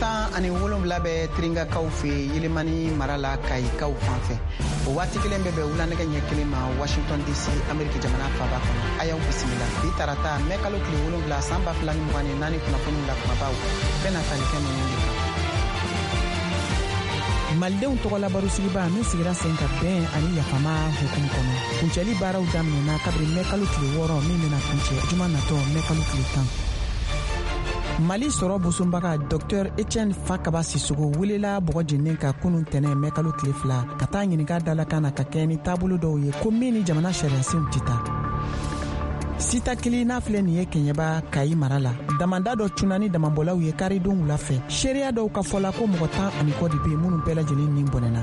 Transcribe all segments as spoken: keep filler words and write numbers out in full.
Tan ani wolonwula bɛ Tiringakaw fɛ Yelimani mara la Kayikaw fan fɛ. O waati kelen bɛ bɛn wulanɛgɛ ɲɛ kelen ma Washington D C, Ameriki jamana faaba kɔnɔ. A y'aw bisimila bi tarata mɛ kalo tile wolonwula san ba fila ni mugan ni naani kunnafoniw la kumabaw bɛna tali kɛ ninnu de kan. Malidenw tɔgɔla barosigiba min sigira sen ka bɛn ani yafama hukumu kɔnɔ, kuncɛli baaraw daminɛna kabiri mɛ kalo tile wɔɔrɔ min bɛna kuncɛ juma natɔ mɛ kalo tile tan. Mali sɔrɔ bosonbaga Docteur Etienne Fakaba Sisoko welela bɔgɔ jennen ka kunun tɛnɛ mɛ kalo tile fila ka taa ɲininka dalakan na ka kɛɲɛ ni taabolo dɔw ye ko min ni jamana sariyasenw tɛ taa. Sitakili n'a filɛ nin ye Kɛɲɛba Kayi mara la, damanda dɔ cunna ni damabɔlaw ye karidon wula fɛ. Seereya dɔw ka fɔ la ko mɔgɔ tan ani kɔ de bɛ yen minnu bɛɛ lajɛlen ni bɔnɛna.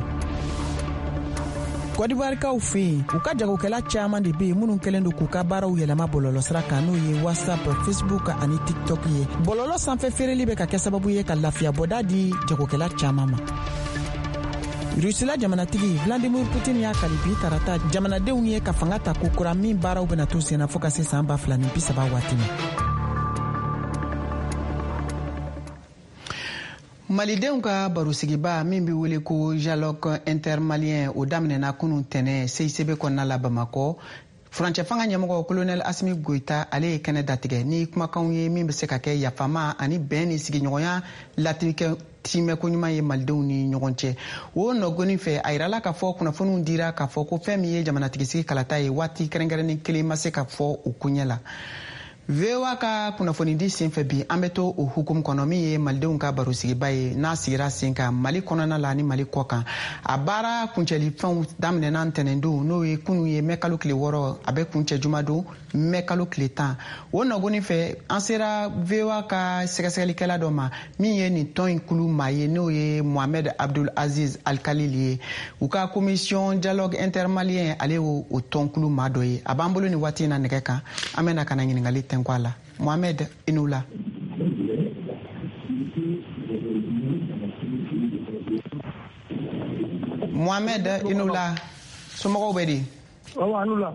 Kɔdiwarikaw fɛ yen, u ka jagokɛla caman de bɛ yen minnu kɛlen don k'u ka baaraw yɛlɛma bɔlɔlɔsira kan, n'o ye WhatsApp, Facebook ani TikTok ye. Bɔlɔlɔ sanfɛ feereli bɛ ka kɛ sababu ye ka lafiya bɔda di jagokɛla caman ma. Rusila jamanatigi Vladimir Putin y'a kali bi tarata jamanadenw ye ka fanga ta kokura min baaraw bɛna to senna fo ka se san ba fila ni bi saba waati ma. Malidenw ka barosigiba min bɛ wele ko Dialogue intermalien, o daminɛna kunun tɛnɛ C I C B kɔnɔna la Bamakɔ. Furancɛ fanga ɲɛmɔgɔ Colonel Asimi Goïta, ale ye kɛnɛ datigɛ ni kumakanw ye min bɛ se ka kɛ yafama ani bɛn ni sigiɲɔgɔnya latigɛ timɛko ɲuman ye malidenw ni ɲɔgɔn cɛ. O nɔgɔni fɛ, a yirala k'a fɔ kunnafoniw dira k'a fɔ ko fɛn min ye jamanatigisigi kalata ye, waati kɛrɛnkɛrɛnnen kelen ma se ka fɔ o koɲɛ la. V O A ka kunnafonidi senfɛ bi, an bɛ to o hukumu kɔnɔ min ye malidenw ka barosigiba ye n'a sigira sen kan Mali kɔnɔna la ni Mali kɔ kan. A baara kuncɛli fɛnw daminɛna ntɛnɛndon, n'o ye kunun ye mɛ kalo tile wɔɔrɔ, a bɛ kuncɛ jumadon mɛ kalo tile tan. O nɔgɔni fɛ, an sera V O A ka sɛgɛsɛgɛlikɛla dɔ ma min ye nin tɔn in kulu maa ye, n'o ye Mohamed Abdul Aziz Alkalil ye. U ka commission dialogue intermalien, ale y'o o tɔnkulu maa dɔ ye. A b'an bolo nin waati in na nɛgɛ kan, an bɛna ka na ɲininkali tɛnku a la. Mohamed, i ni wula. Mohamed, i ni wula. Somɔgɔw bɛ di? Awa, a ni wula.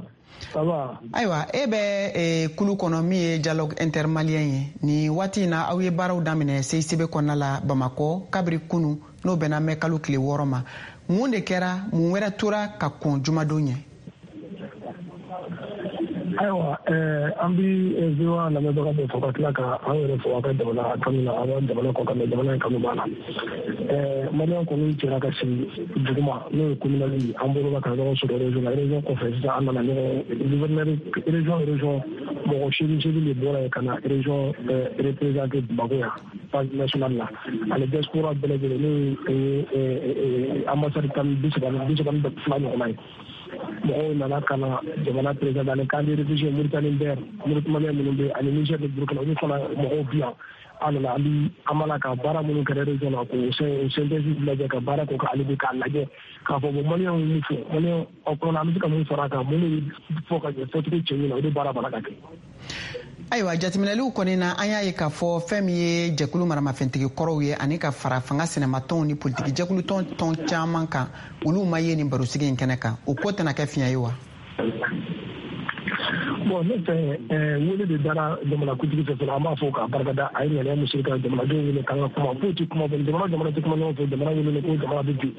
Ayiwa, e bɛ e, kulu kɔnɔ min ye dialogue intermalien ye. Nin waati in na, aw ye baaraw daminɛ C I C B kɔnɔna la Bamakɔ kabiri kunu, n'o bɛnna mɛ kalo tile wɔɔrɔ ma. Mun de kɛra, mun wɛrɛ tora ka kɔn jumadon ɲɛ? Ayiwa, an bi V O A lamɛnbaga bɛɛ fo ka tila ka an yɛrɛ fo a ka jamana kanu na, an ka jamana kɔ kan, mɛ jamana in kanu b'a la. Maliyɛn kɔni cɛra ka sigi duguma, n'o ye communal ye, an bɔra ka ɲɔgɔn sɔrɔ région la. Région kɔfɛ sisan, an nana ɲɔgɔn gouverneur région région mɔgɔ seegin seegin de bɔra yen ka na région représenté Bamakɔ yan phase nationale la, ani diaspora bɛɛ lajɛlen, n'o ye ambassade tan bi saba bi saba ni fila ɲɔgɔnna ye. Mɔgɔw nana ka na jamana président ani camp de réfugiés Mauritanie bɛɛ, Mauritanie minnu bɛ ani Niger ni Burkina, olu fana mɔgɔw bi yan. An nana, an bi an b'a la ka baara minnu kɛra région na k'o synthèse lajɛ, ka baara k'o kan hali bi k'a lajɛ k'a fɔ bon maliyɛnw ye mun fɔ, maliyɛn aw kɔnɔna an bɛ se ka mun fara a kan, mun de bɛ fɔ ka ɲɛ fɔcogo cɛɲi na, o de baara b'a la ka kɛ. Ayiwa, jateminɛliw kɔni na, an y'a ye k'a fɔ fɛn min ye jɛkulu maramafɛntigi kɔrɔw ye ani ka fara fanga sɛnɛmatɔnw ni politiki jɛkulutɔn tɔn caman kan, olu ma ye nin barosigi in kɛnɛ kan. O ko tɛna kɛ fiɲɛ ye wa? Bon, ne fɛ wele de dara jamanakuntigi fɛ fɔlɔ, an b'a fɔ k'a barikada, a ye ŋaniya min siri ka jamanadenw wele k'an ka kuma, foyi tɛ kuma bɔ, jamana jamana tɛ kuma ɲɔgɔn fɛ, jamana wele ko jamana bɛ bin.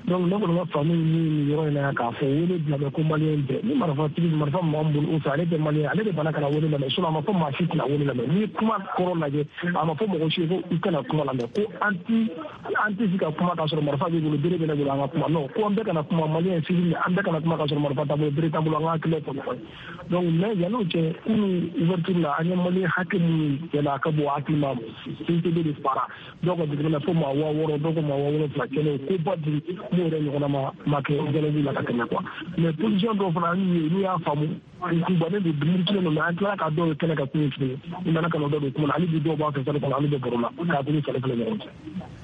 Donc ne kɔni ka faamu ye min nin yɔrɔ in na, k'a fɔ wele bila bɛ ko maliyɛn bɛɛ, ni marifatigi marifa min b'an bolo o fɛ, ale tɛ maliyɛn, ale de banna ka na wele lamɛn. Sinon a ma fɔ maa si tɛna wele lamɛn. N'i ye kuma kɔrɔ lajɛ, a ma fɔ mɔgɔ si ye ko i kana kuma lamɛn, ko an ti an tɛ se ka kuma k'a sɔrɔ marifa b'i bolo, bere bɛ ne bolo, an ka kuma. Non, ko an bɛɛ kana kuma, maliyɛn civil, an bɛɛ kana kuma k'a sɔrɔ marifa t'an bolo, bere t'an bolo, an ka hakilinaw fɔ ɲɔgɔn ye. Donc mais yan'o cɛ, kunun ouverture la, an ye maliyɛn hakɛ minnu yɛlɛ a ka bon hakili ma, C I C B de fara dɔw ka jateminɛ fo maa waa wɔɔrɔ, dɔw ko maa waa wolonfila, kɛlɛ koba di mun yɛrɛ ɲɔgɔnna ma ma kɛ dialogue la ka tɛmɛ quoi. Mais position dɔw fana an y'u ye, n'u y'a faamu u bannen don, murutilen don, mais an tilala ka dɔw ye kɛnɛ ka kun tuguni, u nana ka na dɔw don kuma na, hali bi dɔw b'a fɛ sali kɔnɔ, hali bɛ baro la k'a bolo falen falen ɲɔgɔn cɛ.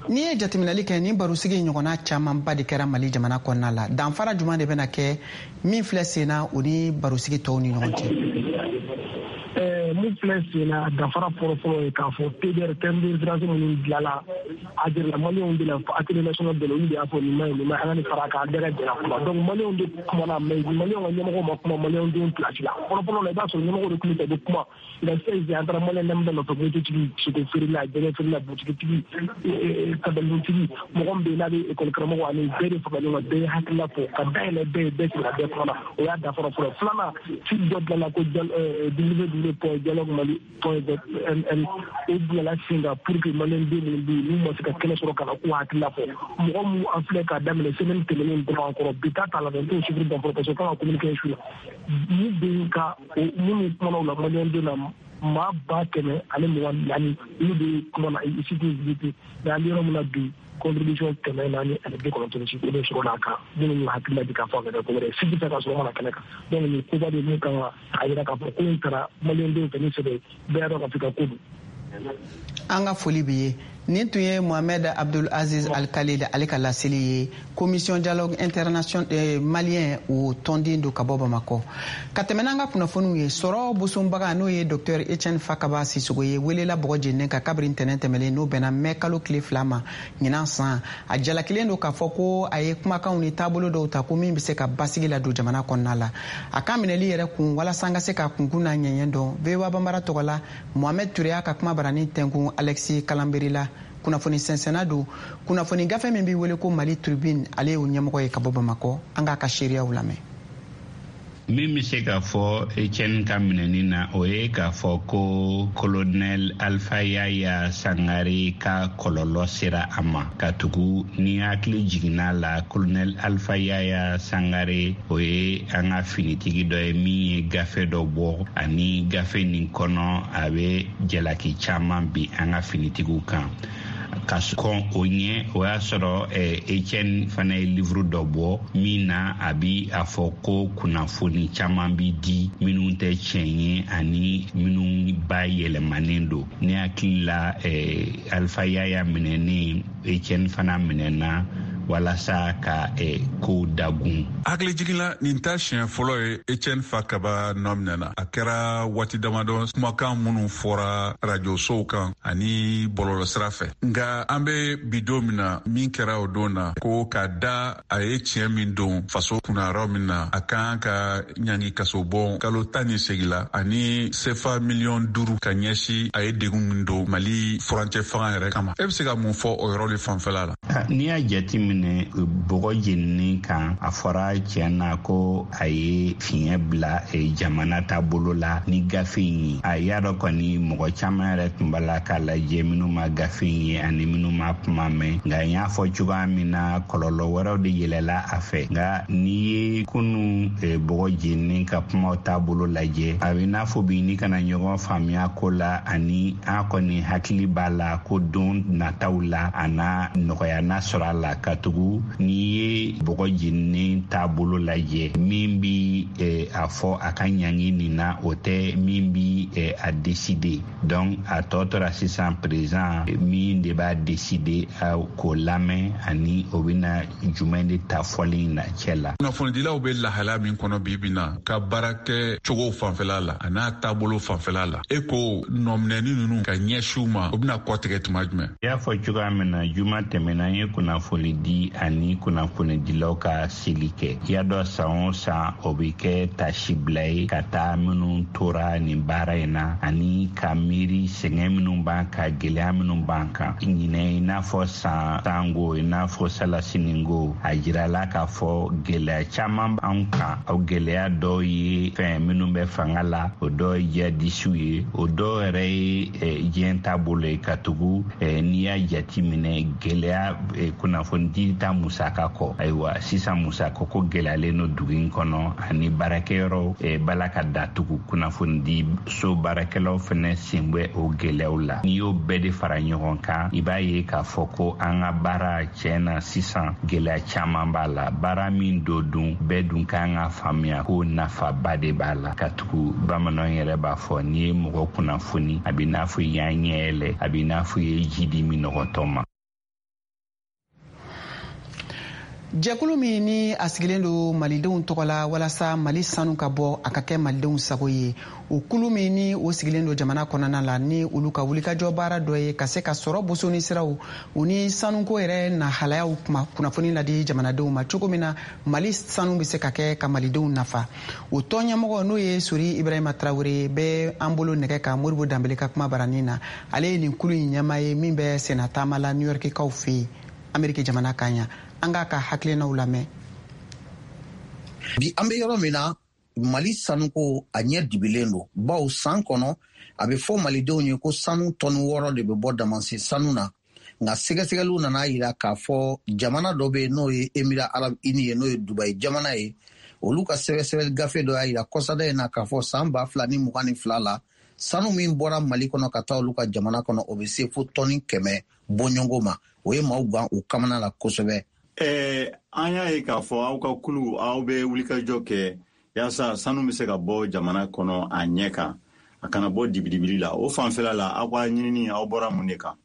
N'i ye jateminɛli kɛ, nin barosigi ɲɔgɔnna camanba de kɛra Mali jamana kɔnɔna la. Danfara jumɛn de bɛna kɛ min filɛ sen na o ni barosigi tɔw ni ɲɔgɔn cɛ? Mun Mun filɛ sen na, danfara fɔlɔ-fɔlɔ ye k'a fɔ T D R, terme de référence minnu dilanla, a jirala maliyɛnw de la. Atelier national de la, olu de y'a fɔ nin ma ɲi, nin ma ɲi, an ka nin fara kan, an bɛɛ ka jɛ ka kuma. Donc maliyɛnw de kumana, mais maliyɛnw ka ɲɛmɔgɔw ma kuma maliyɛnw denw place la. Fɔlɔ-fɔlɔ la, i b'a sɔrɔ ɲɛmɔgɔw de tun bɛ taa, u bɛ kuma. Nka sisan, an taara maliyɛn damadɔ nɔfɛ, mototigi, sogo feerela, jɛgɛ feerela, butigitigi, kabalinitigi, mɔgɔ min bɛ yen n'a bɛ ekɔli karamɔgɔ, ani bɛɛ de fara ɲɔgɔn kan, bɛɛ ye hakilina fɔ ka dayɛlɛ bɛɛ ye, bɛɛ sigira, bɛɛ kumana. O y'a danfara fɔlɔ. Filanan, site dɔ dilanna ko W W point dialogue mali point m, o bilala sen kan pour que maliyɛn den minnu bɛ yen n'u ma se ka kɛnɛ sɔrɔ ka na k'u hakilina fɔ. Mɔgɔ mun an filɛ k'a daminɛ semaine tɛmɛnen dɔrɔn an kɔrɔ, bi ta t'a la dɛ, n t'o chiffre dɔn fɔlɔ parce que kan ka communiquer su la. Mun bɛ yen ka minnu kumana o la, maliyɛn den na maa ba kɛmɛ ani mugan naani, olu de kumana site visité. Mais an bɛ yɔrɔ min na bi, contribution kɛmɛ naani ani bi kɔnɔntɔn ni seegin, o de sɔrɔla a kan, minnu y'u hakilina di k'a fɔ a ka kɛ ko wɛrɛ ye, sigi tɛ ka sɔrɔ mana kɛnɛ kan. Donc nin koba de mun kan ka a yira k'a fɔ ko in taara maliyɛndenw fɛ ni sɛbɛ, bɛɛ y'a dɔn k'a fɔ i ka ko don. An ka foli bi ye. Nin tun ye Mohamed Abdul Aziz Al Khalid ale ka laseli ye, Commission dialogue international eh, malien, o tɔnden don ka bɔ Bamakɔ. Ka tɛmɛ n'an ka kunnafoniw ye, sɔrɔ bosonbaga, n'o ye Docteur Etienne Fakaba Sisogo ye, welela bɔgɔ jeninen ka kabiri ntɛnɛn tɛmɛlen, n'o bɛnna mɛ kalo tile fila ma ɲinan san. A jalakilen don k'a fɔ ko a ye kumakanw ni taabolo dɔw ta ko min bɛ se ka basigi ladon jamana kɔnɔna la. A ka minɛli yɛrɛ kun, walasa an ka se ka kunkun n'a ɲɛɲɛ dɔn, V O A Banbara tɔgɔ la, Mohamed Ture y'a ka kuma barani tɛnkun Alexis Kalanberi la, kunnafoni sɛnsɛnna don kunnafoni gafe min b'i wele ko Mali Tribune, ale y'o ɲɛmɔgɔ ye ka bɔ Bamakɔ. An k'a ka seereyaw lamɛn. Min bɛ se k'a fɔ Etienne ka minɛni na, o ye k'a fɔ ko Colonel Alpha Yaya Sangare ka kɔlɔlɔ sera a ma, ka tugu ni hakili jiginna la, Colonel Alpha Yaya Sangare, o ye an ka finitigi dɔ ye min ye gafe dɔ bɔ, ani gafe nin kɔnɔ a bɛ jalaki caman bin an ka finitigiw kan. Ka kɔn o ɲɛ, o y'a sɔrɔ Etienne fana ye livre dɔ bɔ min na a bi a fɔ ko kunnafoni caman bi di minnu tɛ tiɲɛ ye ani minnu ba yɛlɛmanen don. Ne hakili la, Alpha Yaya minɛnen, Etienne fana minɛna walasa ka kow dagun. Hakili jiginla, nin ta siɲɛ fɔlɔ ye Etienne Fakaba nɔ minɛna. A kɛra waati damadɔ, kumakan minnu fɔra rajosow kan ani bɔlɔlɔ sira fɛ. Nka an be bi don min na, min kɛra o don na, ko ka da a ye tiɲɛ min don faso kunnayɔrɔ min na, a kan ka ɲangi kaso bɔ kalo tan ni segi la ani sefa miliyɔn duuru ka ɲɛsi a ye degun min don Mali furancɛ fanga yɛrɛ kama. E be se ka mun fɔ o yɔrɔ de fanfɛla la? N'i y'a jate minɛ bɔgɔ jeninen kan, a fɔra tiɲɛ na ko a ye fiɲɛ bila jamana taabolo la ni gafe in ye. A y'a dɔn kɔni, mɔgɔ caman yɛrɛ tun b'a la k'a lajɛ, minnu ma gafe in ye ani minnu ma kuma mɛn. Nka n y'a fɔ cogoya min na, kɔlɔlɔ wɛrɛw de yɛlɛla a fɛ. Nka n'i ye kunu bɔgɔ jeninen ka kumaw taabolo lajɛ, a bɛ n'a fɔ bi ni kana ɲɔgɔn faamuya ko la, ani an kɔni hakili b'a la ko don nataw la a n'a nɔgɔya n'a sɔrɔ a la, ka tugu n'i ye bɔgɔ jeninen taabolo lajɛ, min bi a fɔ a ka ɲangi nin na, o tɛ min bi a décider. Donc a tɔ tora sisan président min de b'a décider k'o lamɛn, ani o bɛna jumɛn de ta fɔli in na cɛ la. Kunnafonidilaw bɛ lahala min kɔnɔ bi bi na, ka baara kɛ cogo fanfɛla la a n'a taabolo fanfɛla la, e ko nɔminɛni ninnu ka ɲɛsin u ma, o bɛna kɔtigɛ tuma jumɛn? I y'a fɔ cogoya min na, juma tɛmɛna, an ye kunnafoni di ani kunnafonidilaw ka seli kɛ. I y'a dɔn, san o san o bɛ kɛ tasibila ye ka taa minnu tora nin baara in na, ani ka miiri sɛgɛn minnu b'an kan, gɛlɛya minnu b'an kan ɲinɛ, i n'a fɔ san tango, i n'a fɔ salasiningo. A jirala k'a fɔ gɛlɛya caman b'an kan. O gɛlɛya dɔw ye fɛn minnu bɛ fanga la, o dɔw ye jihadisiw ye, o dɔw yɛrɛ ye diɲɛ taabolo ye, ka tugu n'i y'a jate minɛ gɛlɛya kunnafonidi ta musaka kɔ. Ayiwa, sisan musaka ko gɛlɛyalen don dugu in kɔnɔ, ani baarakɛyɔrɔ bala ka datugu, kunnafonidi so baarakɛlaw fɛnɛ sen bɛ o gɛlɛyaw la. N'i y'o bɛɛ de fara ɲɔgɔn kan, i b'a ye k'a fɔ ko an ka baara tiɲɛ na sisan gɛlɛya caman b'a la. Baara min don dun, bɛɛ dun kan ka faamuya ko nafaba de b'a la, ka tugu bamananw yɛrɛ b'a fɔ n'i ye mɔgɔ kunnafoni, a b'i n'a fɔ i y'a ɲɛ yɛlɛ, a b'i n'a fɔ i ye ji di minɔgɔtɔ ma. Jɛkulu min ni a sigilen don malidenw tɔgɔ la walasa Mali sanu ka bɔ a ka kɛ malidenw sago ye, o kulu min ni o sigilen don jamana kɔnɔna la, ni olu ka wulikajɔ baara dɔ ye ka se ka sɔrɔ bosoni siraw u ni sanuko yɛrɛ nahalayaw kuma kunnafoni ladi jamanadenw ma cogo min na Mali sanu bɛ se ka kɛ ka malidenw nafa. O tɔn ɲɛmɔgɔ n'o ye Sori Ibrahima Traoré bɛ an bolo nɛgɛ kan Modibo Danbele ka kuma baranin na. Ale ye nin kulu in ɲɛmaa ye min bɛ sennataama la New York kaw fɛ yen, Ameriki jamana kan yan. An k'a ka hakilinaw lamɛn. Bi an bɛ yɔrɔ min na, Mali sanuko a ɲɛ dibilen don, bawo san kɔnɔ a bɛ fɔ malidenw ye ko sanu tɔni wɔɔrɔ de bɛ bɔ damansen sanu na. Nka sɛgɛsɛgɛliw nana yira k'a fɔ jamana dɔ bɛ yen n'o ye Émirats Arabes Unis ye, n'o ye Dubayi jamana ye, olu ka sɛgɛsɛgɛli gafe dɔ y'a yira kɔsada in na k'a fɔ san ba fila ni mugan ni fila la, sanu min bɔra Mali kɔnɔ ka taa olu ka jamana kɔnɔ, o bɛ se fo tɔni kɛmɛ bɔɲɔgɔnko ma. O ye maaw gan u kamana la kosɛbɛ. Eh, an y'a ye k'a fɔ aw ka kulu, aw bɛ wulikajɔ kɛ yaasa sanu bɛ se ka bɔ jamana kɔnɔ a ɲɛ kan, a kana bɔ dibidibili la. O fanfɛla la, aw ka ɲinini, aw bɔra mun de kan?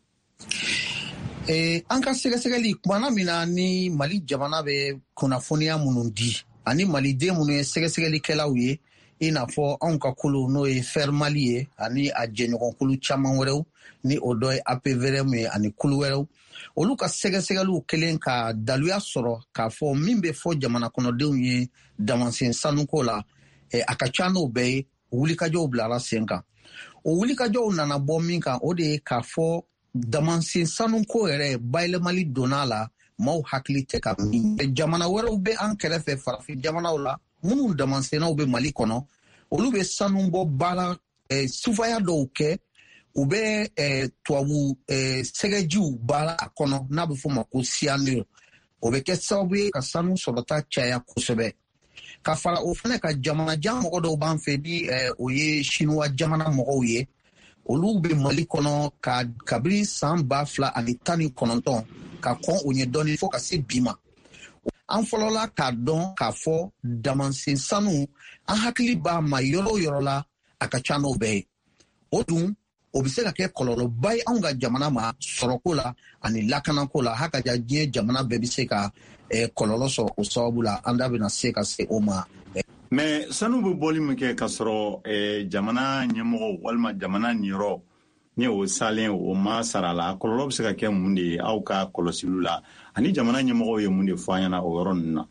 Eh, an ka sɛgɛsɛgɛli kumana min na, ni Mali jamana bɛ kunnafoniya minnu di ani maliden minnu ye sɛgɛsɛgɛlikɛlaw ye, i n'a fɔ anw ka kulu n'o ye Fer Mali ye ani a jɛɲɔgɔnkulu caman wɛrɛw, ni o dɔ ye A P V R M ye ani kulu wɛrɛw, olu ka sɛgɛsɛgɛliw kelen ka daluya sɔrɔ k'a fɔ min bɛ fɔ jamana kɔnɔdenw ye damansen sanuko la, a ka ca n'o bɛɛ ye. Wulikajɔw bilara sen kan. O wulikajɔw nana bɔ min kan, o de ye k'a fɔ damansen sanuko yɛrɛ bayɛlɛmali donna la, maaw hakili tɛ ka min. Jamana wɛrɛw bɛ an kɛrɛfɛ, farafin jamanaw la, minnu damansennaw bɛ Mali kɔnɔ, olu bɛ sanu bɔ baara eh, sufaya dɔw kɛ, u bɛ eh, tubabu eh, sɛgɛjiw baara a kɔnɔ n'a bɛ f'o ma ko cyanure. O bɛ kɛ sababu ye ka sanu sɔrɔta caya kosɛbɛ. Ka fara o fana ka, jamanajan mɔgɔ dɔw b'an fɛ ni eh, o ye Sinuwa jamana mɔgɔw ye, olu bɛ Mali kɔnɔ ka kabini san ba fila ani tan ni kɔnɔntɔn ka kɔn o ɲɛ dɔɔni fo ka se bi ma. An fɔlɔla k'a dɔn k'a fɔ damansen sanu, an hakili b'a ma yɔrɔ o yɔrɔ la, a ka ca n'o bɛɛ ye. O dun, o bɛ se ka kɛ kɔlɔlɔba ye anw ka jamana ma sɔrɔko la ani lakanako la. Hakaja diɲɛ jamana bɛɛ bɛ se ka eh, kɔlɔlɔ sɔrɔ o sababu la. An da bɛna se ka se o ma. Mais sanu bɛ bɔli min kɛ k'a sɔrɔ eh, jamana ɲɛmɔgɔw walima jamana niyɔrɔ ni o salen o ma sara la, a kɔlɔlɔ bɛ se ka kɛ mun de ye aw ka kɔlɔsiliw la, ani jamana ɲɛmɔgɔw ye mun de fɔ an ɲɛna o yɔrɔ ninnu na?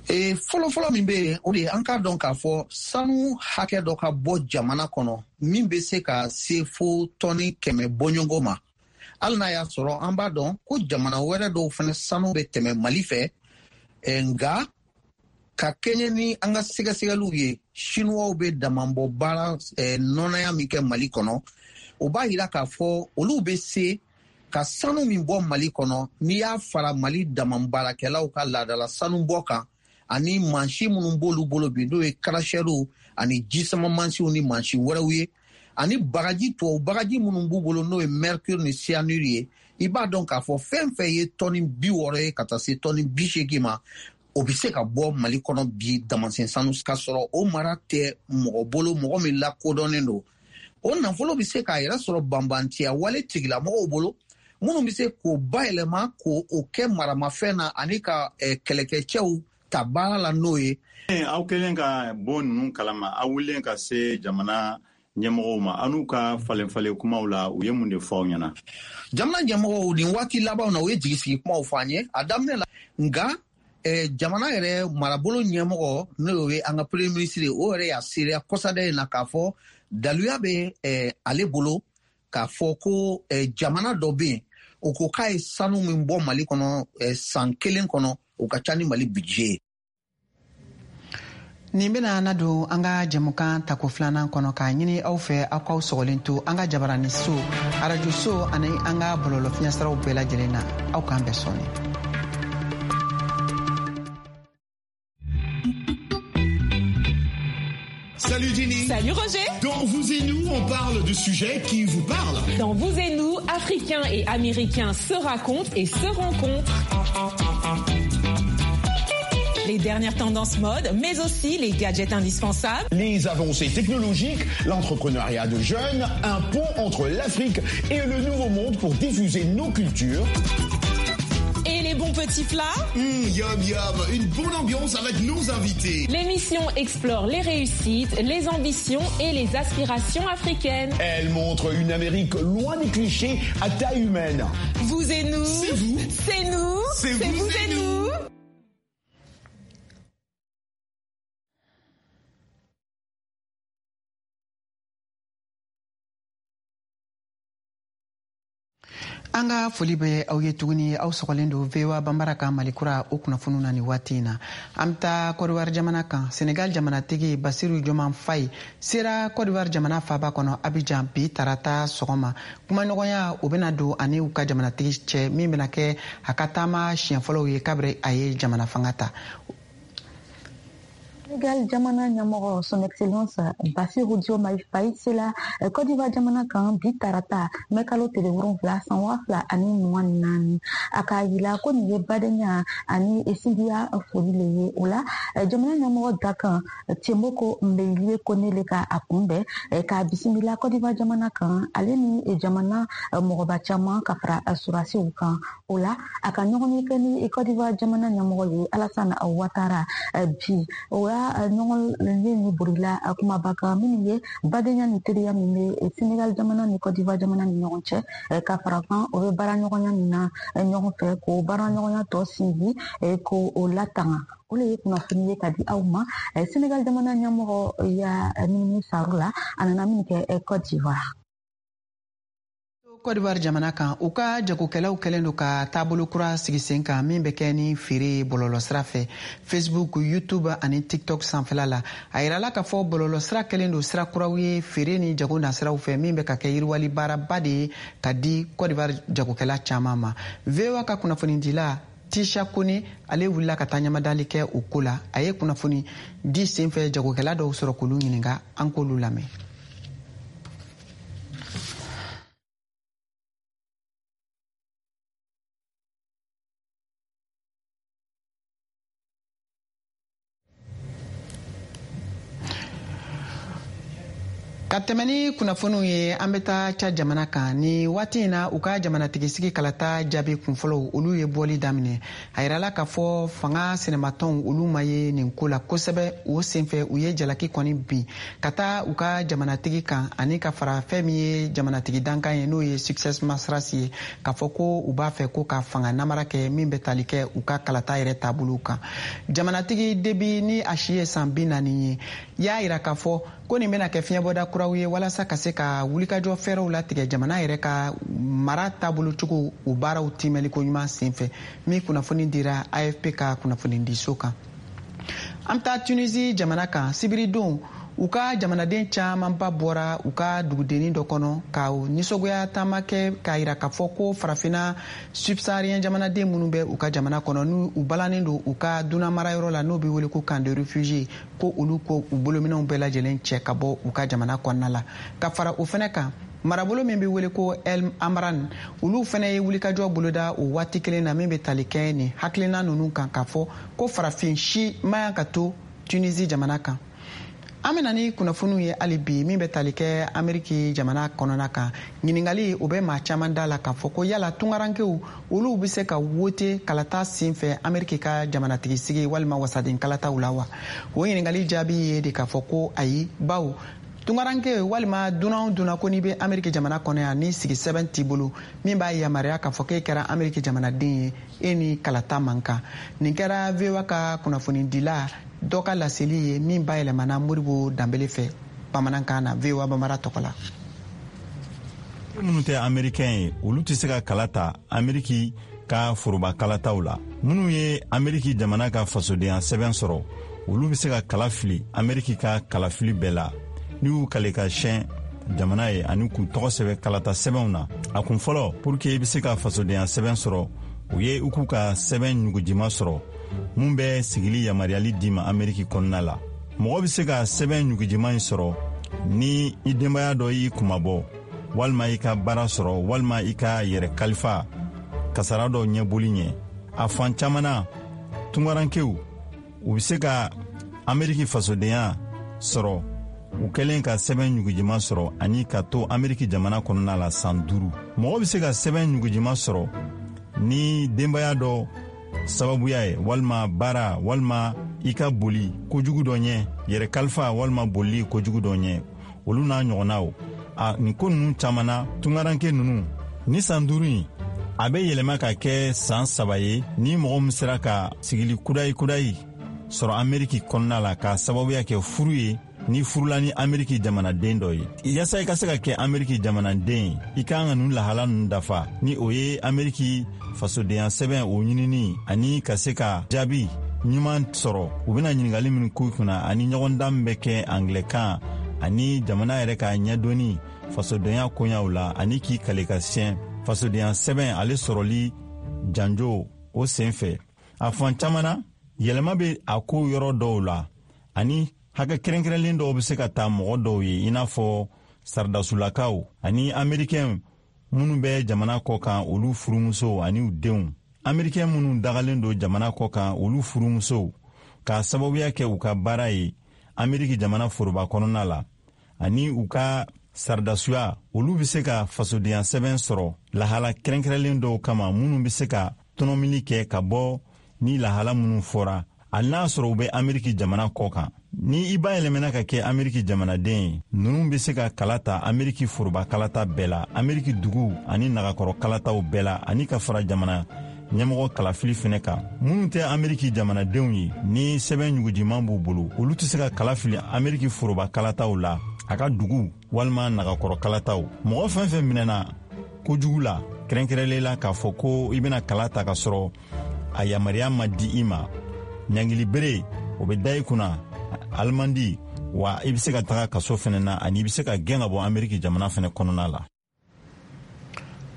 E, fɔlɔfɔlɔ min bɛ yen, o de ye an k'a dɔn k'a fɔ sanu hakɛ dɔ ka bɔ jamana kɔnɔ min bɛ se ka se fo tɔni kɛmɛ bɔɲɔgɔn ma, hali n'a y'a sɔrɔ an b'a dɔn ko jamana wɛrɛ dɔw fana sanu bɛ tɛmɛ Mali fɛ. e, nka ka kɛɲɛ ni an ka sɛgɛsɛgɛliw ye, Sinuwaw bɛ damanbɔ baara eh, nɔnɔya min kɛ Mali kɔnɔ, o b'a yira k'a fɔ olu bɛ se ka sanu min bɔ Mali kɔnɔ, n'i y'a fara Mali damanbaarakɛlaw ka laadala sanubɔ kan ani mansin minnu b'olu bolo bi, n'o ye karasɛriw ani jisama mansinw ni mansin wɛrɛw ye, ani bagaji, tubabu bagaji minnu b'u bolo, n'o ye mercure ni cyanure ye, i b'a dɔn k'a fɔ fɛn fɛn ye tɔni bi wɔɔrɔ ye ka taa se tɔni bi seegin ma, o bɛ se ka bɔ Mali kɔnɔ bi damansen sanu, ka sɔrɔ o mara tɛ mɔgɔ bolo, mɔgɔ min lakodɔnnen don. O nafolo bɛ se k'a yɛrɛ sɔrɔ banbantiya wale tigilamɔgɔw bolo, minnu bɛ se k'o bayɛlɛma k'o kɛ maramafɛn na ani ka eh, kɛlɛkɛcɛw ta baara la n'o ye. Aw kɛlen ka bɔ ninnu kalama, aw wulilen ka se jamana ɲɛmɔgɔw ma, aw n'u ka falen falen kumaw la, u ye mun de fɔ aw ɲɛna? Jamana ɲɛmɔgɔw, nin waati labanw na, u ye jigisigi kumaw fɔ an ye a daminɛ la. Nka eh, jamana yɛrɛ marabolo ɲɛmɔgɔ, n'o ye an ka premier ministre ye, o yɛrɛ y'a seereya kɔsada in na k'a fɔ daluya bɛ eh, ale bolo k'a fɔ ko eh, jamana dɔ bɛ yen, o ko k'a ye sanu min bɔ Mali kɔnɔ eh, san kelen kɔnɔ, o ka ca ni Mali budget ye. Nin bena na don an ka jɛmukan tako filanan kɔnɔ, k'a ɲini aw fɛ aw k'aw sɔgɔlen to an ka jabarani so, arajo so ani an ka bɔlɔlɔ fiɲɛsiraw bɛɛ lajɛlen na. Aw k'an bɛɛ sɔɔni. Salut Jenny. Salut Roger. Dans Vous et nous, on parle de sujets qui vous parlent. Dans Vous et nous, Africains et Américains se racontent et se rencontrent. Les dernières tendances mode, mais aussi les gadgets indispensables. Les avancées technologiques, l'entrepreneuriat de jeunes, un pont entre l'Afrique et le Nouveau Monde pour diffuser nos cultures. Et les les bons petits plats. Mmh, yum yum, une bonne ambiance avec nos invités. L'émission explore les réussites, les ambitions et les aspirations africaines. Elle montre une Amérique loin des clichés à taille humaine. Vous et nous. C'est vous. C'est nous. C'est vous, vous, vous et et nous. nous. An ka foli bɛ aw ye tuguni, aw sɔgɔlen don V O A Banbara ka Malikura o kunnafoniw na nin waati in na. An bɛ taa Côte d'Ivoire jamana kan. Senegal jamanatigi Bassirou Diomaye Faye sera Côte d'Ivoire jamana faaba kɔnɔ Abidjan bi tarata sɔgɔma. Kumaɲɔgɔnya o bɛna don ani u ka jamanatigi cɛ min bɛna kɛ a ka taama siɲɛ fɔlɔw ye kabiri a ye jamana fanga ta. Sénégal jamana ɲɛmɔgɔ son excellence Bassirou Diomaye Faye sela Côte d'Ivoire jamana kan bi tarata mɛ kalo tile wolonwula san waa fila ani mugan ni naani. A k'a yira ko nin ye badenya ani sinjiya foli le ye. O la jamana ɲɛmɔgɔ dakan Tiemoko Mbeyilie Kone le ka a kunbɛn k'a bisimila Côte d'Ivoire jamana kan, ale ni jamana mɔgɔba caman ka fara surasiw kan. O la a ka ɲɔgɔn ye kɛ ni Côte d'Ivoire jamana ɲɛmɔgɔ ye Alassane Ouattara bi. O la ɲɔgɔn ye ni bolila kumaba kan minnu ye badenya ni teriya min bɛ Senegal jamana ni Côte d'Ivoire jamana ni ɲɔgɔn cɛ, ka fara kan o bɛ baara ɲɔgɔnya min na ɲɔgɔn fɛ k'o baara ɲɔgɔnya tɔ sinsin k'o latanga. O le ye kunnafoni ye ka di aw ma. Senegal jamana ɲɛmɔgɔ ya minimi saro la a nana min kɛ Côte d'Ivoire. Côte d'Ivoire jamana kan, u ka jagokɛlaw kɛlen don ka taabolo kura sigi sen kan min bɛ kɛ ni feere bɔlɔlɔsira fɛ, Facebook, YouTube ani TikTok sanfɛla la. A yirala k'a fɔ bɔlɔlɔsira kɛlen don sira kuraw ye feere ni jago nasiraw fɛ min bɛ ka kɛ yiriwali baaraba de ye ka di Côte d'Ivoire jagokɛla caman ma. V O A ka kunnafonidila Tisha Kone ale wulila ka taa ɲamadali kɛ o ko la. A ye kunnafoni di senfɛ jagokɛla dɔw sɔrɔ k'olu ɲininka, an k'olu lamɛn. Ka tɛmɛ ni kunnafoniw ye, an bɛ taa Tchad jamana kan. Ni waati in na, u ka jamanatigisigi kalata jaabi kunfɔlɔw olu ye bɔli daminɛ. A yirala k'a fɔ fanga sinamatɔnw olu ma ye nin ko la kosɛbɛ. O senfɛ u ye jalaki kɔni bin ka taa u ka jamanatigi kan ani ka fara fɛn min ye jamanatigi dankan ye, n'o ye Succès Masra ye, k'a fɔ ko u b'a fɛ ko ka fanga namara kɛ min bɛ tali kɛ u ka kalata yɛrɛ taabolo kan. Jamanatigi Déby ni a si ye san bi naani ye, y'a yira k'a fɔ ko nin bɛna kɛ fiɲɛbɔda kuraw ye walasa ka se ka wulikajɔ fɛɛrɛw latigɛ jamana yɛrɛ ka mara taabolo cogo o baaraw timɛliko ɲuman senfɛ, min kunnafoni dira A F P ka kunnafonidiso kan. An bɛ taa Tunisie jamana kan. Sibiridon u ka jamanaden camanba bɔra u ka dugudennin dɔ kɔnɔ ka nisɔngoya taama kɛ k'a yira k'a fɔ ko farafinna subsaharien jamanaden minnu bɛ u ka jamana kɔnɔ n'u u balannen don u ka dunan marayɔrɔ la n'o bɛ wele ko camp de réfugiés, ko olu ko u bolominɛnw bɛɛ lajɛlen cɛ ka bɔ u ka jamana kɔnɔna la. Ka fara o fɛnɛ kan, marabolo min bɛ wele ko El Amran, olu fɛnɛ ye wulikajɔ boloda o waati kelen na min bɛ tali kɛ nin hakilina ninnu kan k'a fɔ ko farafin si man kan ka to Tunisie jamana kan. An bɛna ni kunnafoniw ye hali bi min bɛ tali kɛ Ameriki jamana kɔnɔna kan. Ɲininkali o bɛ maa caman da la k'a fɔ ko yala tunkarankew olu bɛ se ka wote kalata senfɛ Ameriki ka jamanatigisigi walima wasaden kalataw la wa? O ɲininkali jaabi ye de k'a fɔ ko ayi, bawo tunkaranke walima dunan o dunan ko n'i bɛ Ameriki jamana kɔnɔ yan ni sigi sɛbɛn t'i bolo min b'a yamaruya k'a fɔ k'e kɛra Ameriki jamanaden ye, e ni kalata man kan. Nin kɛra V O A ka kunnafonidila dɔ ka laseli ye min bayɛlɛmana Modibo Danbele fɛ bamanankan na V O A Bambara tɔgɔ la. Minnu tɛ américain ye, olu tɛ se ka kala ta Ameriki ka foroba kalataw la. Minnu ye Ameriki jamana ka fasodenya sɛbɛn sɔrɔ, olu bɛ se ka kala fili Ameriki ka kalafili bɛɛ la n'u y'u kale ka siyɛn jamana ye ani k'u tɔgɔ sɛbɛn kalata sɛbɛnw na. A kun fɔlɔ pour que i bɛ se ka fasodenya sɛbɛn sɔrɔ, o ye i k'u ka sɛbɛn ɲugujima sɔrɔ mun bɛ sigili yamaruyali d'i ma Ameriki kɔnɔna la. Mɔgɔ bɛ se ka sɛbɛn ɲugujima in sɔrɔ ni i denbaya dɔ y'i kunmabɔ, walima i ka baara sɔrɔ, walima i ka yɛrɛ kalifa kasara dɔ ɲɛboli ɲɛ. A fan caman na, tunkarankew u bɛ se ka Ameriki fasodenya sɔrɔ u kɛlen ka sɛbɛn ɲugujima sɔrɔ ani ka to Ameriki jamana kɔnɔna la san duuru. Mɔgɔ bɛ se ka sɛbɛn ɲugujima sɔrɔ ni denbaya dɔ sababuya ye, walima baara, walima i ka boli kojugu dɔ ɲɛ, yɛrɛ kalifa walima bolili kojugu dɔ ɲɛ, olu n'a ɲɔgɔnnaw. A nin ko ninnu caman na, tungaranke ninnu ni san duuru in a bɛ yɛlɛma ka kɛ san saba ye ni mɔgɔ min sera ka sigili kudayi kudayi sɔrɔ Ameriki kɔnɔna la k'a sababuya kɛ furu ye, ni furula ni Ameriki jamanaden dɔ ye. Yaasa i ka se ka kɛ Ameriki jamanaden ye, i ka kan ka ninnu lahala ninnu dafa, ni o ye Ameriki fasodenya sɛbɛn o ɲinini, ani ka se ka jaabi ɲuman sɔrɔ u bɛna ɲininkali minnu k'u kunna, ani ɲɔgɔndan min bɛ kɛ angilɛkan, ani jamana yɛrɛ ka ɲɛdɔnni fasodenya koɲaw la, ani k'i kale ka siɲɛ fasodenya sɛbɛn ale sɔrɔli janjo o sen fɛ. A fan caman na, yɛlɛma bɛ a ko yɔrɔ dɔw la, ani hakɛ kɛrɛnkɛrɛnlen dɔw bɛ se ka ta mɔgɔ dɔw ye, i n'a fɔ saradasulakaw ani amerikɛn minnu bɛ jamana kɔ kan, olu furumusow ani u denw. Amerikɛn minnu dagalen don jamana kɔ kan, olu furumusow, k'a sababuya kɛ u ka baara ye Ameriki jamana foroba kɔnɔna la, ani u ka saradasuya, olu bɛ se ka fasodenya sɛbɛn sɔrɔ lahala kɛrɛnkɛrɛnlen dɔw kama, minnu bɛ se ka tɔnɔmili kɛ ka bɔ ni lahala minnu fɔra, hali n'a sɔrɔ u bɛ Ameriki jamana kɔ kan. Ni i bayɛlɛmɛna ka kɛ Ameriki jamanaden ye, ninnu bɛ se ka kala ta Ameriki foroba kalata bɛɛ la, Ameriki dugu ani nagakɔrɔ kalataw bɛɛ la, ani ka fara jamana ɲɛmɔgɔ kalafili fɛnɛ kan. Minnu tɛ Ameriki jamanadenw ye, ni sɛbɛn ɲugujiman b'u bolo, olu tɛ se ka kala fili Ameriki foroba kalataw la, a ka dugu walima nagakɔrɔ kalataw. Mɔgɔ fɛn fɛn minɛna kojugu la, kɛrɛnkɛrɛnlen la k'a fɔ ko i bɛna kala ta ka sɔrɔ a yamaruya ma di i ma, ɲangili bere o bɛ da i kunna, alimandi, wa i bɛ se ka taga kaso fɛnɛ na, ani i bɛ se ka gɛn ka bɔ Ameriki jamana fɛnɛ kɔnɔna la.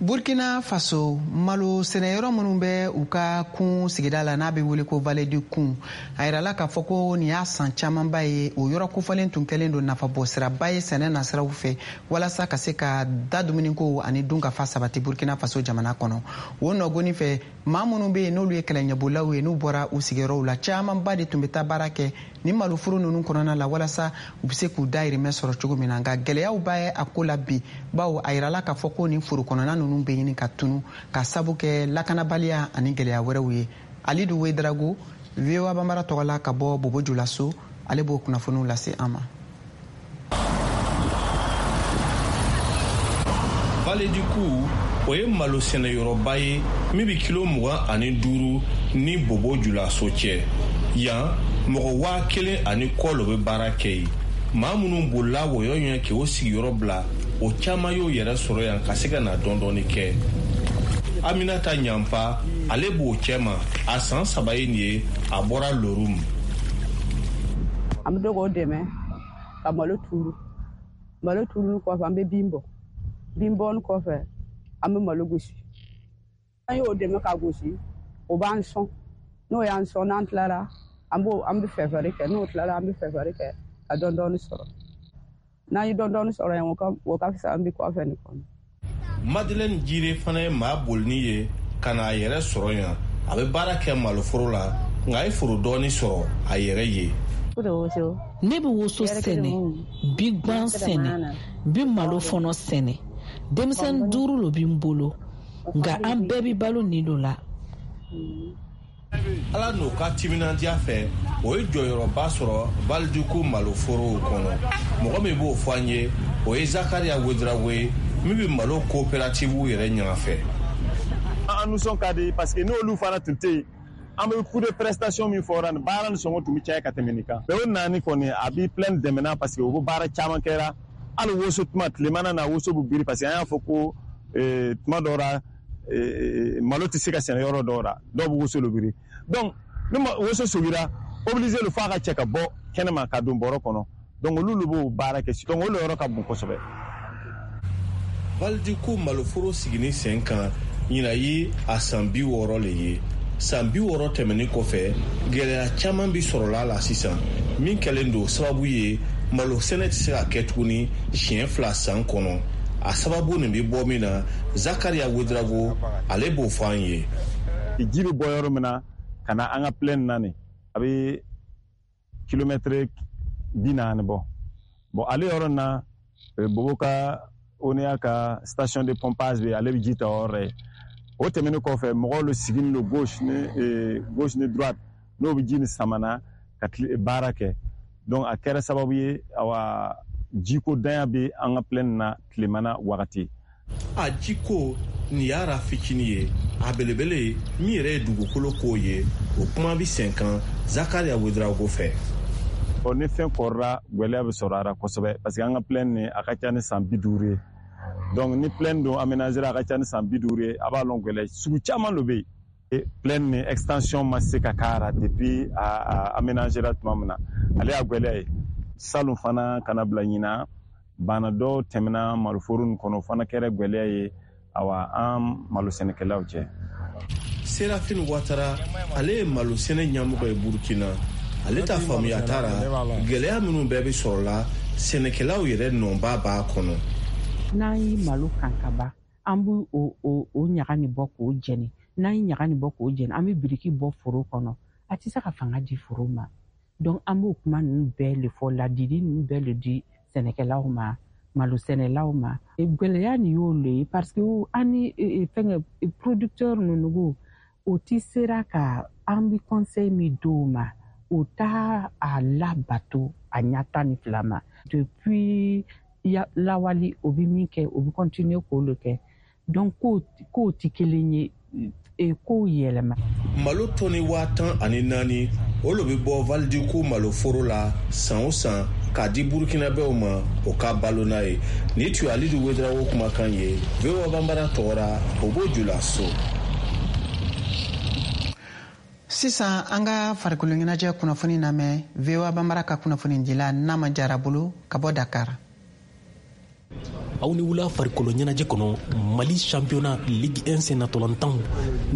Burkina Faso, malo sɛnɛyɔrɔ minnu bɛ u ka kun sigida la n'a bɛ wele ko Vallée du Koun, a yirala k'a fɔ ko nin y'a san camanba ye o yɔrɔ kofɔlen tun kɛlen don nafabɔsiraba ye sɛnɛ nasiraw fɛ, walasa ka se ka da dumuniko ani dunkafa sabati Burkina Faso jamana kɔnɔ. O nɔgɔni fɛ, maa minnu bɛ yen n'olu ye kɛlɛɲɛbolaw ye, n'u bɔra u sigiyɔrɔw la, camanba de tun bɛ taa baara kɛ ni maloforo ninnu kɔnɔna la, walasa u bɛ se k'u dahirimɛ sɔrɔ cogo min na. Nka gɛlɛyaw b'a ye a ko la bi, bawo a yirala k'a fɔ ko nin foro kɔnɔna ninnu bɛ ɲini ka tunu ka sabu kɛ lakanabaliya ani gɛlɛya wɛrɛw ye. Alidu Wedrago, V O A Bambara tɔgɔ la ka bɔ Bobo Julaso, ale b'o kunnafoniw lase an ma. Vallée du Kou, o ye malo sɛnɛyɔrɔba ye min bɛ kilo mugan ani duuru ni Bobo Julaso cɛ. Yan mɔgɔ waa kelen ani kɔ lo bɛ baara kɛ yen. Maa minnu bolila wɔyɔ ɲɛ k'o sigiyɔrɔ bila, o caman y'o yɛrɛ sɔrɔ yan ka se ka na dɔɔni kɛ. Aminata Ɲanfa, ale b'o cɛma, a san saba ye nin ye, a bɔra Lorum. An bɛ to k'o dɛmɛ ka malo turu. Malo turuni kɔfɛ, an bɛ bin bɔ. Bin bɔni kɔfɛ, an bɛ malo gosi. An y'o dɛmɛ k'a gosi, o b'an sɔn. N'o y'an sɔn, n'an tilara, an b'o an bɛ fɛfɛri kɛ. N'o tilara, an bɛ fɛfɛri kɛ ka dɔɔni dɔɔni sɔrɔ. N'an ye dɔɔni dɔɔni sɔrɔ yan, o ka o ka fisa an bɛ kɔfɛ nin kɔnɔ. Madeleine Jire fana ye maa bolini ye ka n'a yɛrɛ sɔrɔ yan. A bɛ baara kɛ maloforo la, nka a ye foro dɔɔni sɔrɔ a yɛrɛ ye. Ne bɛ woso sɛnɛ, bi gan sɛnɛ, bi malo fɔnɔ sɛnɛ. Denmisɛnnin duuru lo bɛ n bolo, nka an bɛɛ bɛ balo nin lo la. Ala n'o ka timinandiya fɛ, o ye jɔyɔrɔba sɔrɔ Vallée du Kou maloforow kɔnɔ. Mɔgɔ min b'o fɔ an ye, o ye Zakaria Ouedraogo ye, min bɛ malo coopérative yɛrɛ ɲɛnafɛ. An nisɔn ka di parce que n'olu fana tun tɛ yen, an bɛ coût de prestation min fɔra nin baara nin sɔngɔ tun bɛ caya ka tɛmɛ nin kan. O naani kɔni a bɛ plein dɛmɛna parce que u bɛ baara caman kɛra. Hali woso tuma tilemana na woso bɛ biri parce que an y'a fɔ ko tuma dɔw la malo tɛ se ka sɛnɛ yɔrɔ dɔw la, dɔw bɛ woso biri. Donc ni woso sogira, obligé le f'a ka cɛ ka bɔ kɛnɛma ka don bɔrɔ kɔnɔ. Donc olu de b'o baara kɛ. Donc olu yɔrɔ ka bon kosɛbɛ. Vallée du Kou maloforo sigini sen kan ɲinan ye a san bi wɔɔrɔ le ye. San bi wɔɔrɔ tɛmɛnen kɔfɛ, gɛlɛya caman bi sɔrɔla la sisan min kɛlen don sababu ye malo sɛnɛ tɛ se ka kɛ tuguni siɲɛ fila san kɔnɔ. A sababu nin bɛ bɔ min na, Zakaria Ouedraogo ale b'o fɔ an ye. Ji bɛ bɔ yɔrɔ min na ka na an ka plaine na nin, a bɛ kilomɛtiri bi naani bɔ. Bon ale yɔrɔ na, Bobo ka O N E A ka station de pompage bɛ, ale bɛ ji ta o yɔrɔ ye. O tɛmɛnen kɔfɛ, mɔgɔw le siginin don gauche ni gauche ni droite, n'o bɛ ji nin samana ka baara kɛ. Donc a kɛra sababu ye, awa, jiko danya bɛ an ka plaine na tilemana wagati. A jiko nin y'a fitinin ye, a belebele min yɛrɛ ye dugukolo ko ye, o kuma bɛ sen kan Zakaria Ouedraogo fɛ. Ɔ, ni fɛn kɔrɔla, gwɛlɛya bɛ sɔrɔ a la kosɛbɛ, parce que an ka plaine nin, a ka ca ni san bi duuru ye. Donc ni plaine don aménagé, a ka ca ni san bi duuru ye, a b'a lɔn gwɛlɛya sugu caman de bɛ yen. Plaine ni extension ma se ka k'a la depuis a aménagé la tuma min na, ale y'a gwɛlɛya ye. Salon fana, kana bila ɲina, bana dɔw tɛmɛna maloforo nin kɔnɔ, fana kɛra gwɛlɛya ye, awa, an malo sɛnɛkɛlaw cɛ. Serafine Watara, ale ye malo sɛnɛ ɲɛmɔgɔ ye Burukina. Ale ta faamuya t'a la, gɛlɛya minnu bɛɛ bɛ sɔrɔ la, sɛnɛkɛlaw yɛrɛ nɔba b'a kɔnɔ. N'an ye malo kan ka ban, an b'o o o o ɲaga nin bɔ k'o jɛni. N'an ye ɲaga nin bɔ k'o jɛni, an bɛ biriki bɔ foro kɔnɔ, a tɛ se ka fanga di foro ma. Donc an b'o kuma ninnu bɛɛ le fɔ, ladili ninnu bɛɛ le di sɛnɛkɛlaw ma, malo sɛnɛlaw ma. Gɛlɛya nin y'o le ye, parce que an ni fɛngɛ producteur ninnu, o ti sera ka an bɛ conseil min d'o ma, o t'a a labato a ɲɛ tan ni fila ma. Depuis lawali, o bɛ min kɛ, o bɛ continuer k'o le kɛ. Donc kow kow ti kelen ye, kow yɛlɛma. Malo tɔni waa tan ani naani, o lo bɛ bɔ Valdioco maloforo la san o san k'a di Burkinabɛw ma, o ka balo n'a ye. Nin tun ye Alidu Ouedraogo kumakan ye V O A Banbara tɔgɔra Bobo Julaso. Sisan an ka farikolo ɲɛnajɛ kunnafoni lamɛn V O A Banbara ka kunnafonidila Nama Jara bolo ka bɔ Dakar. Aw ni wula. Farikolo ɲɛnajɛ kɔnɔ, Mali championnat Ligue un sennatolantanw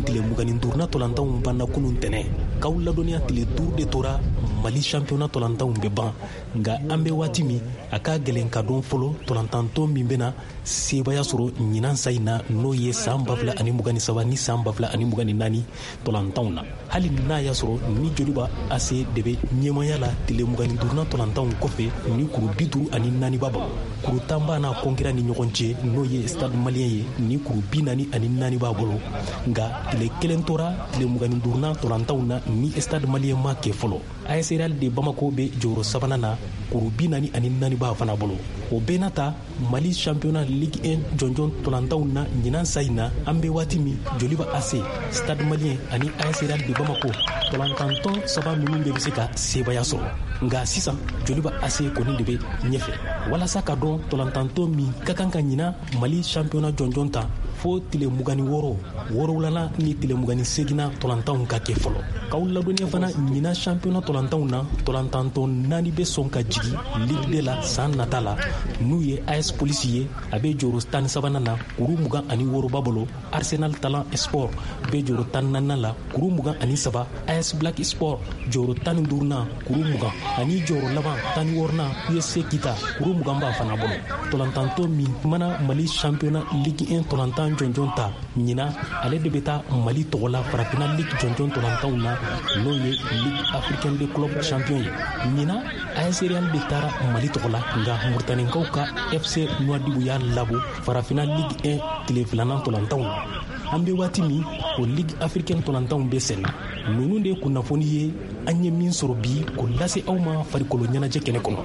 tile mugan ni duuruna tolantanw banna kunun tɛnɛ. K'aw ladɔnniya, tile duuru de tora Mali championnat tolantanw bɛ ban, nka an bɛ waati min, a ka gɛlɛn ka dɔn fɔlɔ tolantantɔn min bɛna sebaya sɔrɔ ɲinan sa in na, n'o ye san ba fila ani mugan ni saba ni san ba fila ani mugan ni naani tolantanw na. Hali n'a y'a sɔrɔ ni Joliba A C de bɛ ɲɛmaya la tile mugan ni duurunan tolantanw kɔfɛ ni kuru bi duuru ani naani b'a bolo, kuru tan b'a n'a kɔnkira ni ɲɔgɔn cɛ, n'o ye Stade Malien ye, ni kuru bi naani ani naani b'a bolo. Nka tile kelen tora tile mugan ni duurunan tolantanw na ni Stade Malien ma kɛ fɔlɔ. A S Real de Bamako bɛ jɔyɔrɔ sabanan na, kuru bi naani ani naani b'a fana bolo. O bɛɛ n'a ta, Mali championnat Ligue un jɔnjɔn tolantanw na ɲinan sa in na, an bɛ waati min, Joliba A C, Stade Malien ani A S Real de Bamako, tolantantɔn saba ninnu bɛɛ bɛ se ka sebaya sɔrɔ. Nka sisan Joliba A C kɔni de bɛ ɲɛfɛ. Walasa ka dɔn tolantantɔn min ka kan ka ɲinan Mali championnat jɔnjɔn ta, fo tile mugan ni wɔɔrɔ wɔɔrɔwulana ni tile mugan ni seginna tolantanw ka kɛ fɔlɔ. K'aw ladɔnniya fana, ɲinan championnat tolantanw na, tolantantɔn naani bɛ sɔn ka jigin Ligue deux la san nata la, n'u ye A S Police ye, a bɛ jɔyɔrɔ tan ni sabanan na, kuru mugan ani wɔɔrɔ b'a bolo. Arsenal Talan Sport bɛ jɔyɔrɔ tan ni naaninan la, kuru mugan ani saba. A S Black Sport jɔyɔrɔ tan ni duurunan, kuru mugan, ani jɔyɔrɔ laban tan ni wɔɔrɔnan U S C Kita, kuru mugan b'a fana bolo. Tolantantɔ min mana Mali championnat Ligue un tolantan jɔnjɔn ta ɲinan, ale de bɛ taa Mali tɔgɔ la Farafinna Ligue jɔnjɔn tolantanw na, n'o ye Ligue africaine de club champion ye. Ɲinan A S Real de taara Mali tɔgɔ la, nka Muritanikaw ka F C Nouadhibou y'a labɔ Farafinna Ligue un tile filanan tolantanw na. An bɛ waati min, o Ligue africaine tolantanw bɛ sen na. Ninnu de ye kunnafoni ye an ye min sɔrɔ bi k'o lase aw ma farikolo ɲɛnajɛ kɛnɛ kɔnɔ.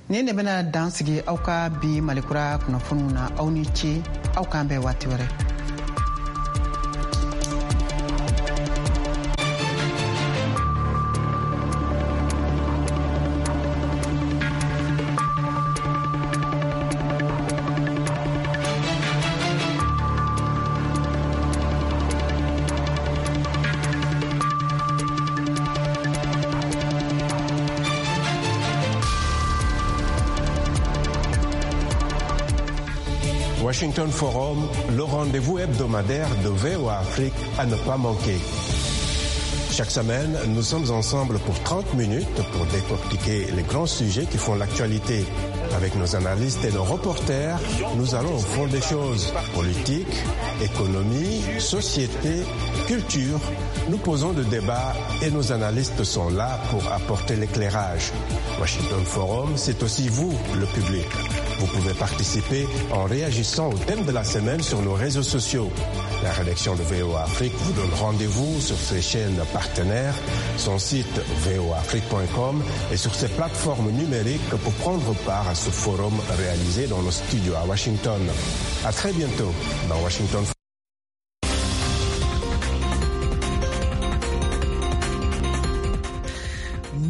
Nin de bɛna dan sigi aw ka bi Malikura kunnafoniw na. Aw ni ce, aw k'an bɛn waati wɛrɛ. Washington Forum, le rendez-vous hebdomadaire de V O A Afrique à ne pas manquer. Chaque semaine, nous sommes ensemble pour trente minutes pour décortiquer les grands sujets qui font l'actualité. Avec nos analystes et nos reporters, nous allons au fond des choses. Politique, économie, société, culture, nous posons le débat et nos analystes sont là pour apporter l'éclairage. Washington Forum, c'est aussi vous, le public. Vous pouvez participer en réagissant au thème de la semaine sur nos réseaux sociaux. La rédaction de V O A Afrique vous donne rendez-vous sur ses chaînes partenaires, son site v o a afrique point com et sur ses plateformes numériques pour prendre part à ce forum réalisé dans nos studios à Washington. À très bientôt dans Washington Forum.